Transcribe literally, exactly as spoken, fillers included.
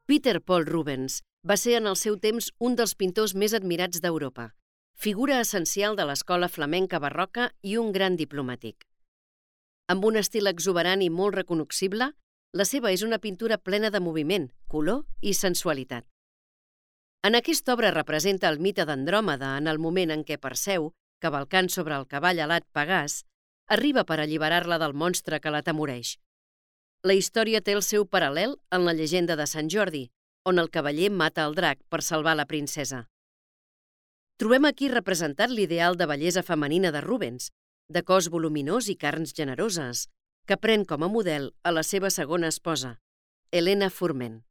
Peter Paul Rubens va ser en el seu temps un dels pintors més admirats d'Europa, figura essencial de l'escola flamenca barroca i un gran diplomàtic. Amb un estil exuberant i molt recognoscible, la seva és una pintura plena de moviment, color i sensualitat. En aquesta obra representa el mite d'Andròmeda en el moment en què Perseu, cavalcant sobre el cavall alat Pegàs, arriba per alliberar-la del monstre que l'atemoreix. La història té el seu paral·lel en la llegenda de Sant Jordi, on el cavaller mata el drac per salvar la princesa. Trobem aquí representat l'ideal de bellesa femenina de Rubens, de cos voluminós i carns generoses, que pren com a model a la seva segona esposa, Helena Fourment.